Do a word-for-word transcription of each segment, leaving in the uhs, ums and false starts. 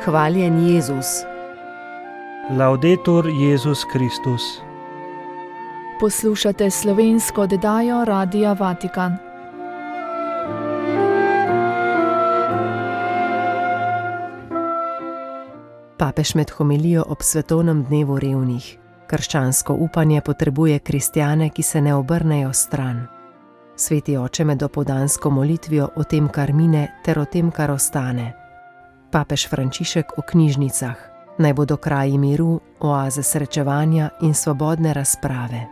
Hvaljen Jezus. Laudetur Jezus Kristus. Poslušate slovensko oddajo Radia Vatikan. Papež med homilijo ob svetovnem dnevu revnih. Krščansko upanje potrebuje kristjane, ki se ne obrnejo stran. Sveti oče med dopoldansko molitvijo o tem, kar mine, ter o tem, kar ostane. Papež Frančišek o knjižnicah. Naj bodo kraji miru, oaze srečevanja in svobodne razprave.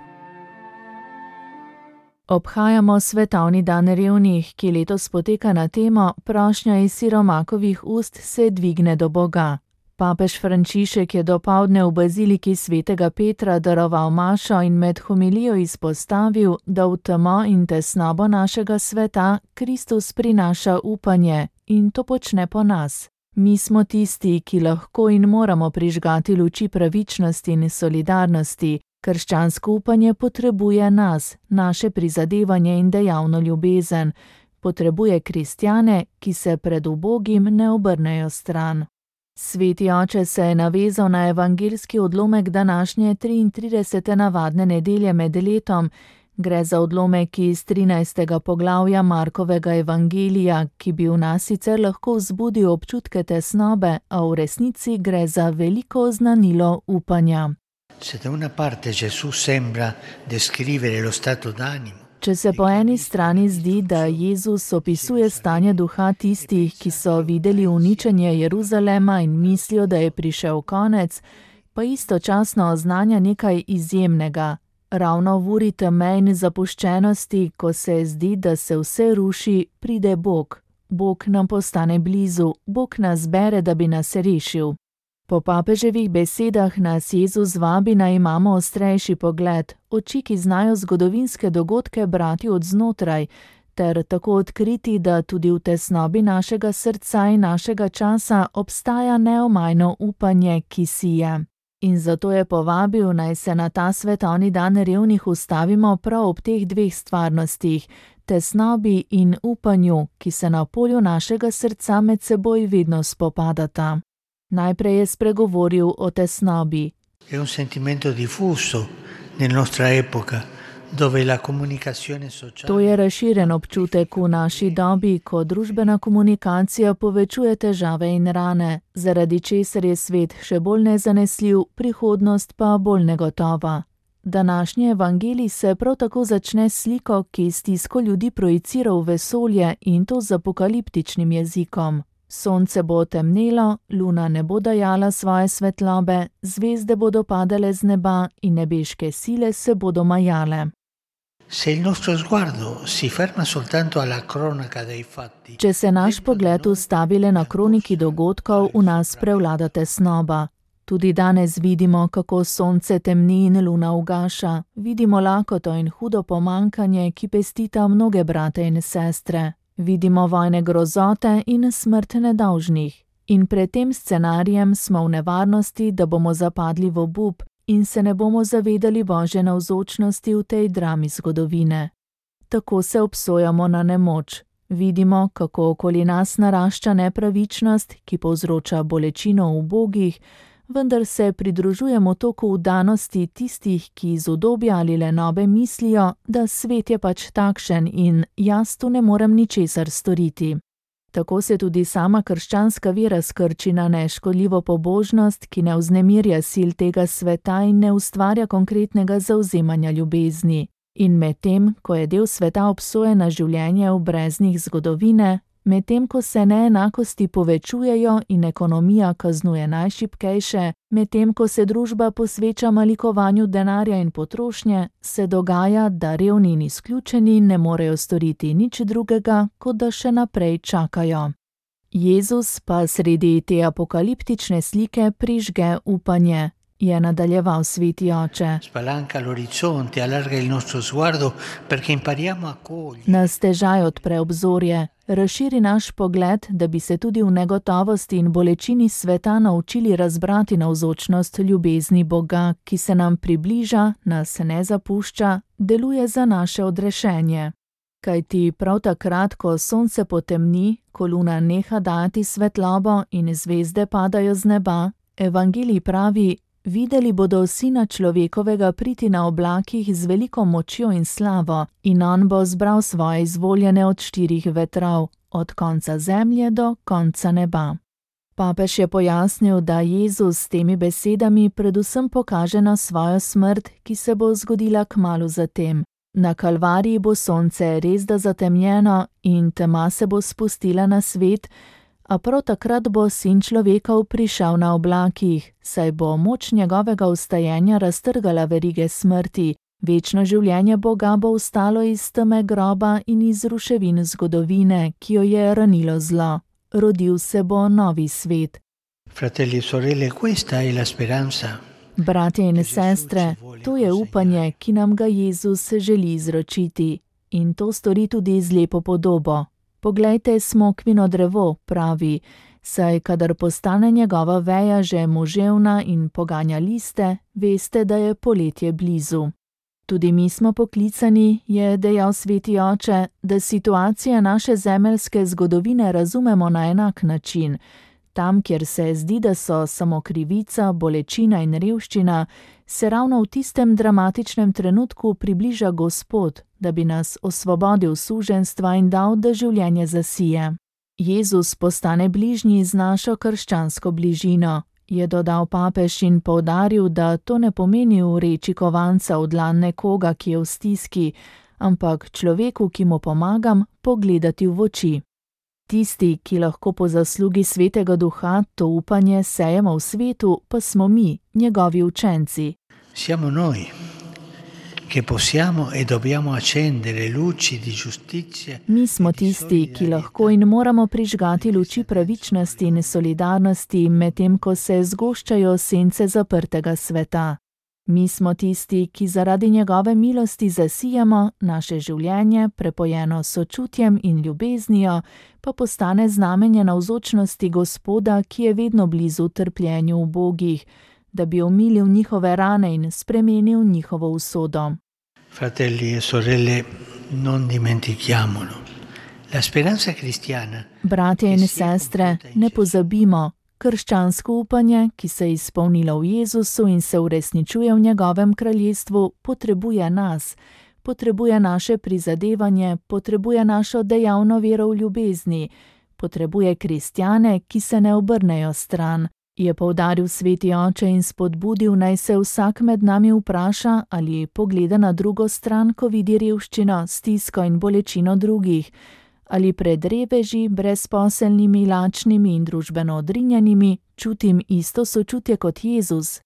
Obhajamo svetovni dan revnih, ki letos poteka na temo Prošnja iz siromakovih ust se dvigne do Boga. Papež Frančišek je dopoldne v baziliki svetega Petra daroval mašo in med homilijo izpostavil, da v temo in tesnobo našega sveta Kristus prinaša upanje in to počne po nas. Mi smo tisti, ki lahko in moramo prižgati luči pravičnosti in solidarnosti. Krščansko upanje potrebuje nas, naše prizadevanje in dejavno ljubezen. Potrebuje kristjane, ki se pred ubogim ne obrnejo stran. Sveti oče se je navezal na evangeljski odlomek današnje triintridesete navadne nedelje med letom. Gre za odlomek iz trinajstega poglavja Markovega evangelija, ki bi v nas sicer lahko vzbudil občutke tesnobe, a v resnici gre za veliko oznanilo upanja. Se da una parte Gesù sembra descrivere lo stato d'animo. Če se po eni strani zdi, da Jezus opisuje stanje duha tistih, ki so videli uničenje Jeruzalema in mislijo, da je prišel konec, pa istočasno oznanja nekaj izjemnega. Ravno v uri teme in zapuščenosti, ko se zdi, da se vse ruši, pride Bog. Bog nam postane blizu, Bog nas bere, da bi nas rešil. Po papeževih besedah nas Jezus vabi, naj imamo ostrejši pogled, oči, ki znajo zgodovinske dogodke brati od znotraj, ter tako odkriti, da tudi v tesnobi našega srca in našega časa obstaja neomajno upanje, ki sije. In zato je povabil, naj se na ta svetovni dan revnih ustavimo prav ob teh dveh stvarnostih, tesnobi in upanju, ki se na polju našega srca med seboj vedno spopadata. Najprej je spregovoril o tesnobi. È un sentimento diffuso nella nostra epoca, dove la comunicazione sociale. To je razširjen občutek v naši dobi, ko družbena komunikacija povečuje težave in rane, zaradi česar je svet še bolj nezanesljiv, prihodnost pa bolj negotova. Današnji evangelij se prav tako začne s sliko, ki stisko ljudi projicira v vesolje, in to z apokaliptičnim jezikom. Sonce bo temnelo, luna ne bo dajala svoje svetlobe, zvezde bodo padale z neba in nebeške sile se bodo majale. Se il nostro sguardo si ferma soltanto alla cronaca dei fatti. Če se naš pogled ustavi le na kroniki dogodkov, v nas prevlada tesnoba. Tudi danes vidimo, kako sonce temni in luna ugaša. Vidimo lakoto in hudo pomankanje, ki pestita mnoge brate in sestre. Vidimo vojne grozote in smrt nedolžnih. In pred tem scenarijem smo v nevarnosti, da bomo zapadli v obup in se ne bomo zavedali Božje navzočnosti v tej drami zgodovine. Tako se obsojamo na nemoč. Vidimo, kako okoli nas narašča nepravičnost, ki povzroča bolečino v ubogih, vendar se pridružujemo toku vdanosti tistih, ki iz udobja ali lenobe mislijo, da svet je pač takšen in jaz tu ne morem ničesar storiti. Tako se tudi sama krščanska vera skrči na neškodljivo pobožnost, ki ne vznemirja sil tega sveta in ne ustvarja konkretnega zavzemanja ljubezni. In medtem, ko je del sveta obsojen na življenje v breznih zgodovine, medtem ko se neenakosti povečujejo in ekonomija kaznuje najšibkejše, medtem ko se družba posveča malikovanju denarja in potrošnje, se dogaja, da revni in izključeni ne morejo storiti nič drugega, kot da še naprej čakajo. Jezus pa sredi te apokaliptične slike prižge upanje. Je nadaljeval sveti oče. Spalanca l'orizzonte, allarga il nostro sguardo perché impariamo a cogliere. Nas težaj odpre obzorje, razširi naš pogled, da bi se tudi v negotovosti in bolečini sveta naučili razbrati navzočnost ljubezni Boga, ki se nam približa, nas ne zapušča, deluje za naše odrešenje. Kajti prav takrat, ko sonce potemni, ko luna neha dati svetlobo in zvezde padajo z neba, evangelij pravi: videli bodo sina človekovega priti na oblakih z veliko močjo in slavo, in on bo zbral svoje izvoljene od štirih vetrov, od konca zemlje do konca neba. Papež je pojasnil, da Jezus s temi besedami predvsem pokaže na svojo smrt, ki se bo zgodila kmalu zatem. Na Kalvariji bo sonce resda zatemnjeno in tema se bo spustila na svet, a prav takrat bo sin človekov prišel na oblakih, saj bo moč njegovega vstajenja raztrgala verige smrti. Večno življenje Boga bo vstalo iz teme groba in iz ruševin zgodovine, ki jo je ranilo zlo. Rodil se bo novi svet. Fratelli e sorelle, questa è la speranza. Bratje in sestre, to je upanje, ki nam ga Jezus želi izročiti, in to stori tudi z lepo podobo. Poglejte smokvino drevo, pravi, saj kadar postane njegova veja že moževna in poganja liste, veste, da je poletje blizu. Tudi mi smo poklicani, je dejal sveti oče, da situacije naše zemeljske zgodovine razumemo na enak način. Tam, kjer se zdi, da so samo krivica, bolečina in revščina, se ravno v tistem dramatičnem trenutku približa Gospod, da bi nas osvobodil suženjstva in dal, da življenje zasije. Jezus postane bližnji z našo krščansko bližino, je dodal papež in poudaril, da to ne pomeni vreči kovanca v dlan nekoga, ki je v stiski, ampak človeku, ki mu pomagam, pogledati v oči. Tisti, ki lahko po zaslugi svetega duha to upanje sejemo v svetu, pa smo mi, njegovi učenci. Siamo noi, che possiamo e dobbiamo accendere luci di giustizia. Mi smo tisti, ki lahko in moramo prižgati luči pravičnosti in solidarnosti, medtem ko se zgoščajo sence zaprtega sveta. Mi smo tisti, ki zaradi njegove milosti zasijamo, naše življenje, prepojeno s sočutjem in ljubeznijo, pa postane znamenje navzočnosti Gospoda, ki je vedno blizu trpljenju ubogih, da bi omilil njihove rane in spremenil njihovo usodo. Fratelli e sorelle, non dimentichiamolo. La speranza cristiana. Bratje in sestre, ne pozabimo, krščansko upanje, ki se je izpolnilo v Jezusu in se uresničuje v njegovem kraljestvu, potrebuje nas, potrebuje naše prizadevanje, potrebuje našo dejavno vero v ljubezni, potrebuje kristjane, ki se ne obrnejo stran, je poudaril sveti oče in spodbudil, naj se vsak med nami vpraša, ali pogleda na drugo stran, ko vidi revščino, stisko in bolečino drugih, ali pred reveži, brezposelnimi, lačnimi in družbeno odrinjenimi čutim isto sočutje kot Jezus.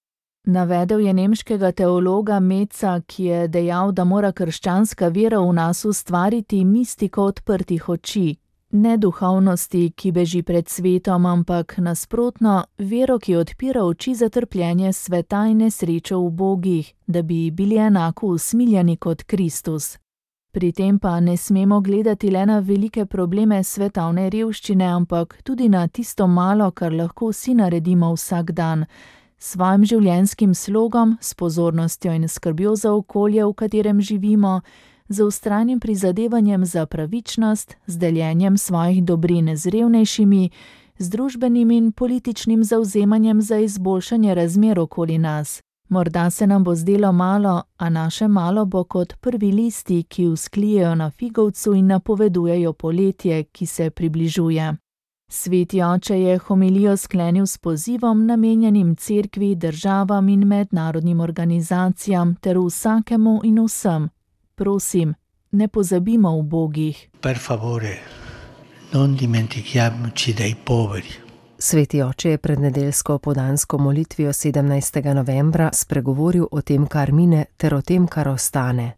Navedel je nemškega teologa Metza, ki je dejal, da mora krščanska vera v nas ustvariti mistiko odprtih oči, ne duhovnosti, ki beži pred svetom, ampak nasprotno, vero, ki odpira oči za trpljenje sveta in nesrečo ubogih, da bi bili enako usmiljeni kot Kristus. Pri tem pa ne smemo gledati le na velike probleme svetovne revščine, ampak tudi na tisto malo, kar lahko vsi naredimo vsak dan, s svojim življenjskim slogom, s pozornostjo in skrbjo za okolje, v katerem živimo, z vztrajnim prizadevanjem za pravičnost, z deljenjem svojih dobrin z revnejšimi, z družbenim in političnim zavzemanjem za izboljšanje razmer okoli nas. Morda se nam bo zdelo malo, a naše malo bo kot prvi listi, ki vzklijejo na figovcu in napovedujejo poletje, ki se približuje. Sveti oče je homilijo sklenil s pozivom, namenjenim cerkvi, državam in mednarodnim organizacijam ter vsakemu in vsem. Prosim, ne pozabimo ubogih. Per favore, non dimentichiamoci dei poveri. Sveti oče je pred nedeljsko podansko molitvijo sedemnajstega novembra spregovoril o tem, kar mine, ter o tem, kar ostane.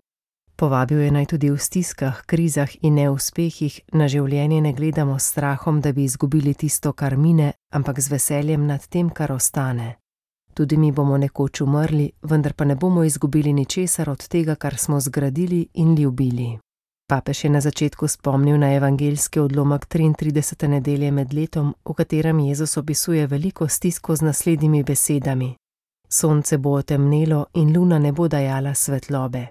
Povabil je naj tudi v stiskah, krizah in neuspehih na življenje ne gledamo s strahom, da bi izgubili tisto, kar mine, ampak z veseljem nad tem, kar ostane. Tudi mi bomo nekoč umrli, vendar pa ne bomo izgubili ničesar od tega, kar smo zgradili in ljubili. Papež je na začetku spomnil na evangeljski odlomek triintridesete nedelje med letom, v katerem Jezus opisuje veliko stisko z naslednjimi besedami. Sonce bo otemnelo in luna ne bo dajala svetlobe.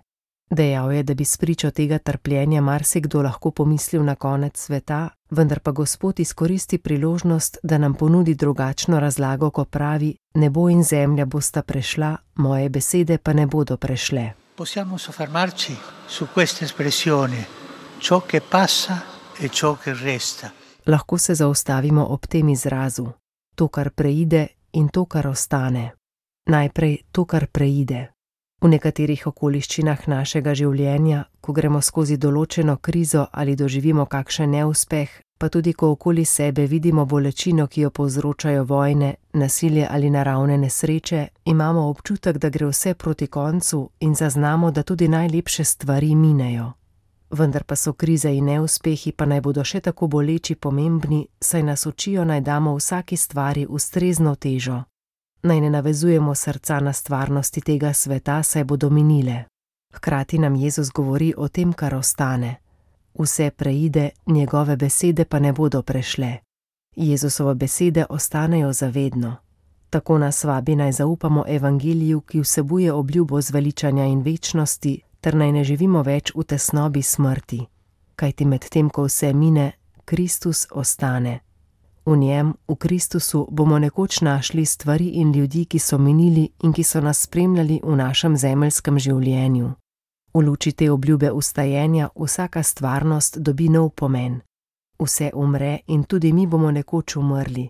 Dejal je, da bi spričo tega trpljenja marsikdo lahko pomislil na konec sveta, vendar pa Gospod izkoristi priložnost, da nam ponudi drugačno razlago, ko pravi: nebo in zemlja bosta prešla, moje besede pa ne bodo prešle. Possiamo soffermarci su questa espressione, ciò che passa e ciò che resta. Lahko se zaustavimo ob tem izrazu, to, kar preide in to, kar ostane. Najprej to, kar preide. V nekaterih okoliščinah našega življenja, ko gremo skozi določeno krizo ali doživimo kakšen neuspeh, pa tudi ko okoli sebe vidimo bolečino, ki jo povzročajo vojne, nasilje ali naravne nesreče, imamo občutek, da gre vse proti koncu in zaznamo, da tudi najlepše stvari minejo. Vendar pa so krize in neuspehi, pa naj bodo še tako boleči, pomembni, saj nas učijo, naj damo vsaki stvari ustrezno težo. Naj ne navezujemo srca na stvarnosti tega sveta, saj bodo minile. Hkrati nam Jezus govori o tem, kar ostane. Vse preide, njegove besede pa ne bodo prešle. Jezusove besede ostanejo zavedno. Tako nas vabi, naj zaupamo evangeliju, ki vsebuje obljubo zveličanja in večnosti, ter naj ne živimo več v tesnobi smrti. Kajti med tem, ko vse mine, Kristus ostane. V njem, v Kristusu, bomo nekoč našli stvari in ljudi, ki so minili in ki so nas spremljali v našem zemeljskem življenju. V luči te obljube ustajenja vsaka stvarnost dobi nov pomen. Vse umre in tudi mi bomo nekoč umrli.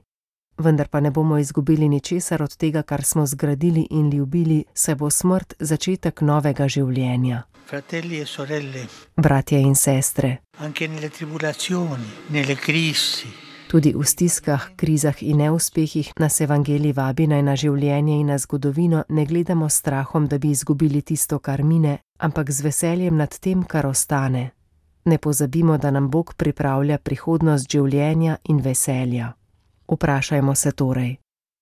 Vendar pa ne bomo izgubili ničesar od tega, kar smo zgradili in ljubili, saj bo smrt začetek novega življenja. Fratelli e sorelle, Bratje in sestre, anche nelle tribulazioni, nelle crisi, tudi v stiskah, krizah in neuspehih nas evangelij vabi, naj na življenje in na zgodovino ne gledamo s strahom, da bi izgubili tisto, kar mine, ampak z veseljem nad tem, kar ostane. Ne pozabimo, da nam Bog pripravlja prihodnost življenja in veselja. Vprašajmo se torej,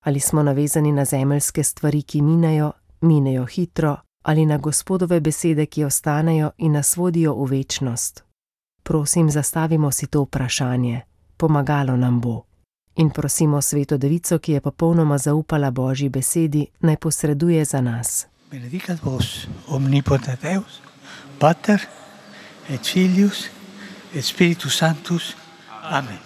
ali smo navezani na zemeljske stvari, ki minejo, minejo hitro, ali na Gospodove besede, ki ostanejo in nas vodijo v večnost. Prosim, zastavimo si to vprašanje. Pomagalo nam bo. In prosimo Sveto Devico, ki je popolnoma zaupala Božji besedi, naj posreduje za nas. benedicat vos, omnipotens Deus, Pater, et Filius, et Spiritus Sanctus. Amen.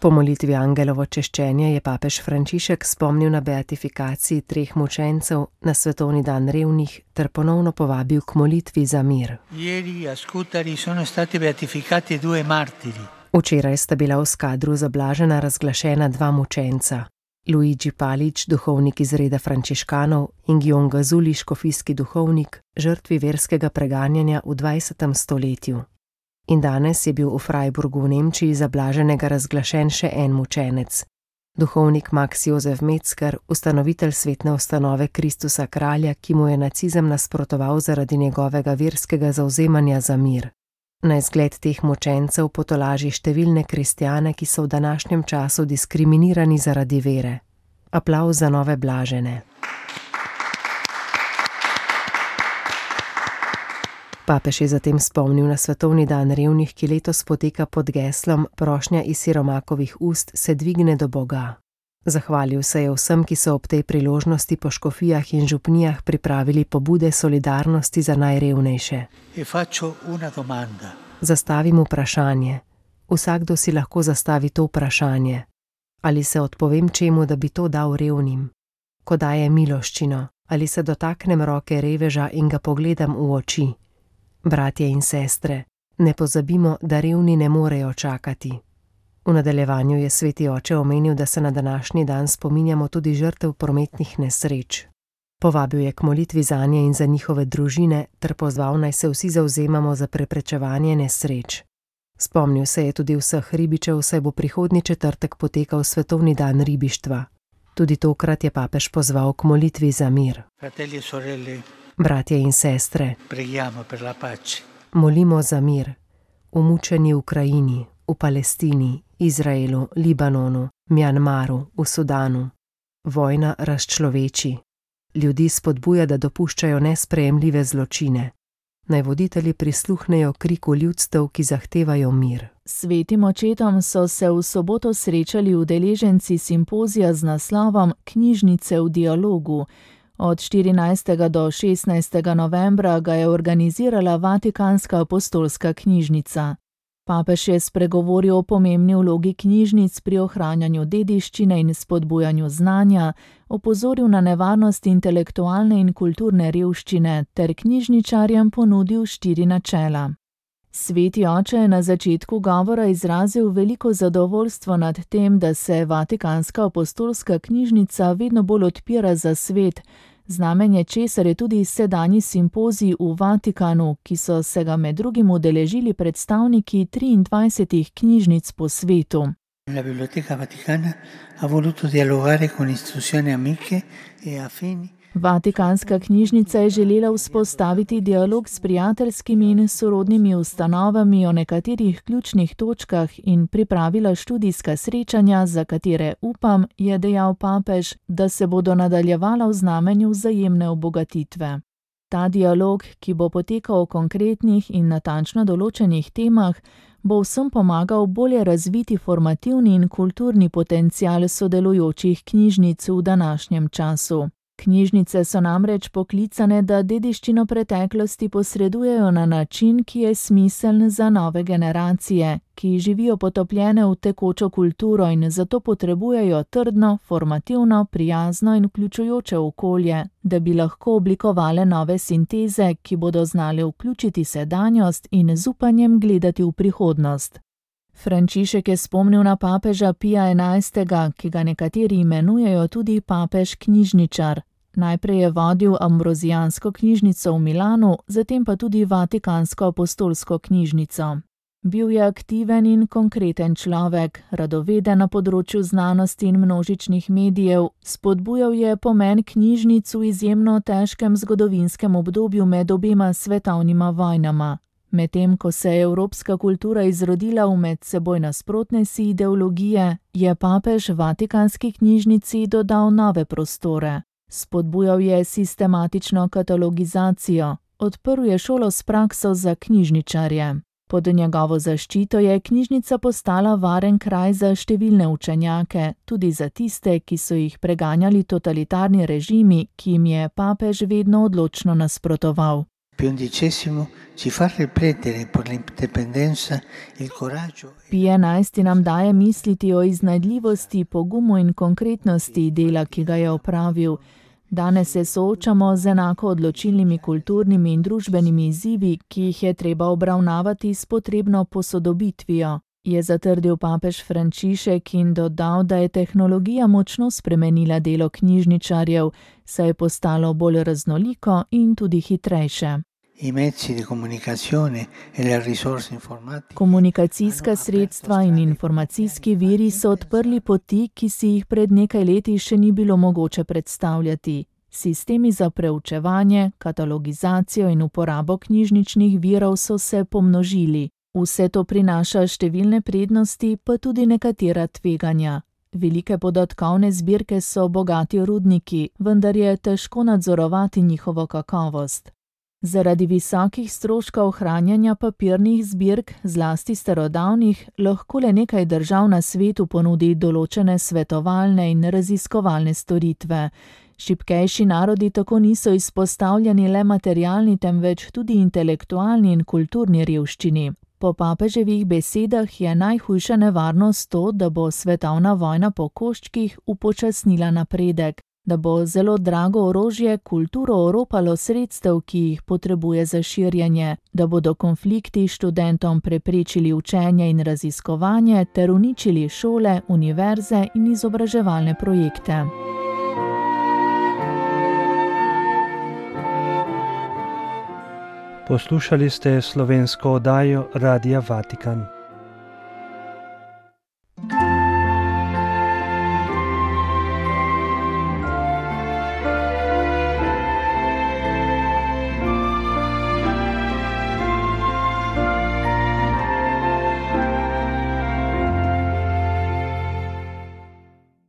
Po molitvi angelovo češčenje je papež Frančišek spomnil na beatifikaciji treh mučencev na svetovni dan revnih ter ponovno povabil k molitvi za mir. Ieri a Scutari sono stati beatificati due martiri. Včeraj sta bila v Skadru za Blažena razglašena dva mučenca. Luigi Palič, duhovnik iz reda frančiškanov, in Gion Gazuli, škofijski duhovnik, žrtvi verskega preganjanja v dvajsetem stoletju. In danes je bil v Freiburgu v Nemčiji za Blaženega razglašen še en mučenec. Duhovnik Max Jozef Metzger, ustanovitelj svetne ustanove Kristusa kralja, ki mu je nacizem nasprotoval zaradi njegovega verskega zavzemanja za mir. Na izgled teh mučencev potolaži številne kristjane, ki so v današnjem času diskriminirani zaradi vere. Aplavz za nove Blažene. Papež je zatem spomnil na svetovni dan revnih, ki letos poteka pod geslom Prošnja iz siromakovih ust se dvigne do Boga. Zahvalil se je vsem, ki so ob tej priložnosti po škofijah in župnijah pripravili pobude solidarnosti za najrevnejše. E faccio una domanda. Zastavim vprašanje. Vsakdo si lahko zastavi to vprašanje. Ali se odpovem čemu, da bi to dal revnim? Ko daje miloščino, ali se dotaknem roke reveža in ga pogledam v oči? Bratje in sestre, ne pozabimo, da revni ne morejo čakati. V nadaljevanju je sveti oče omenil, da se na današnji dan spominjamo tudi žrtev prometnih nesreč. Povabil je k molitvi zanje in za njihove družine ter pozval, naj se vsi zavzemamo za preprečevanje nesreč. Spomnil se je tudi vseh ribičev, saj bo prihodnji četrtek potekal svetovni dan ribištva. Tudi tokrat je papež pozval k molitvi za mir. Fratelli e sorelle, Bratje in sestre, preghiamo per la pace. molimo za mir. V mučeni Ukrajini, v Palestini, Izraelu, Libanonu, Mjanmaru, v Sudanu. Vojna razčloveči. Ljudi spodbuja, da dopuščajo nesprejemljive zločine. Naj voditelji prisluhnejo kriku ljudstev, ki zahtevajo mir. Svetim očetom so se v soboto srečali udeleženci simpozija z naslovom Knjižnice v dialogu. Od štirinajstega do šestnajstega novembra ga je organizirala Vatikanska apostolska knjižnica. Papež je spregovoril o pomembni vlogi knjižnic pri ohranjanju dediščine in spodbujanju znanja, opozoril na nevarnost intelektualne in kulturne revščine ter knjižničarjem ponudil štiri načela. Sveti oče je na začetku govora izrazil veliko zadovoljstvo nad tem, da se Vatikanska apostolska knjižnica vedno bolj odpira za svet, znamenje česar je tudi sedanji simpozij v Vatikanu, ki so se ga med drugim udeležili predstavniki triindvajsetih knjižnic po svetu. La Biblioteca Vaticana ha voluto dialogare con istituzioni amiche e affini. Vatikanska knjižnica je želela vzpostaviti dialog s prijateljskimi in sorodnimi ustanovami o nekaterih ključnih točkah in pripravila študijska srečanja, za katere upam, je dejal papež, da se bodo nadaljevala v znamenju vzajemne obogatitve. Ta dialog, ki bo potekal o konkretnih in natančno določenih temah, bo vsem pomagal bolje razviti formativni in kulturni potencial sodelujočih knjižnic v današnjem času. Knjižnice so namreč poklicane, da dediščino preteklosti posredujejo na način, ki je smiseln za nove generacije, ki živijo potopljene v tekočo kulturo in zato potrebujejo trdno, formativno, prijazno in vključujoče okolje, da bi lahko oblikovale nove sinteze, ki bodo znale vključiti sedanjost in z upanjem gledati v prihodnost. Frančišek je spomnil na papeža Pija enajstega, ki ga nekateri imenujejo tudi papež knjižničar. Najprej je vodil ambrozijansko knjižnico v Milanu, zatem pa tudi Vatikansko apostolsko knjižnico. Bil je aktiven in konkreten človek, radoveden na področju znanosti in množičnih medijev, spodbujal je pomen knjižnic v izjemno težkem zgodovinskem obdobju med obema svetovnima vojnama. Medtem ko se je evropska kultura izrodila v med seboj nasprotne si ideologije, je papež Vatikanski knjižnici dodal nove prostore. Spodbujal je sistematično katalogizacijo, odprl je šolo s prakso za knjižničarje. Pod njegovo zaščito je knjižnica postala varen kraj za številne učenjake, tudi za tiste, ki so jih preganjali totalitarni režimi, ki jim je papež vedno odločno nasprotoval. Pij enajsti nam daje misliti o iznajdljivosti, pogumu in konkretnosti dela, ki ga je opravil. Danes se soočamo z enako odločilnimi kulturnimi in družbenimi izzivi, ki jih je treba obravnavati s potrebno posodobitvijo, je zatrdil papež Frančišek in dodal, da je tehnologija močno spremenila delo knjižničarjev, saj je postalo bolj raznoliko in tudi hitrejše. Komunikacijska sredstva in informacijski viri so odprli poti, ki si jih pred nekaj leti še ni bilo mogoče predstavljati. Sistemi za preučevanje, katalogizacijo in uporabo knjižničnih virov so se pomnožili. Vse to prinaša številne prednosti, pa tudi nekatera tveganja. Velike podatkovne zbirke so bogati rudniki, vendar je težko nadzorovati njihovo kakovost. Zaradi visokih stroškov ohranjanja papirnih zbirk, zlasti starodavnih, lahko le nekaj držav na svetu ponudi določene svetovalne in raziskovalne storitve. Šibkejši narodi tako niso izpostavljeni le materialni, temveč tudi intelektualni in kulturni revščini. Po papeževih besedah je najhujša nevarnost to, da bo svetovna vojna po koščkih upočasnila napredek, da bo zelo drago orožje kulturo oropalo sredstev, ki jih potrebuje za širjenje, da bodo konflikti študentom preprečili učenje in raziskovanje ter uničili šole, univerze in izobraževalne projekte. Poslušali ste slovensko oddajo Radia Vatikan.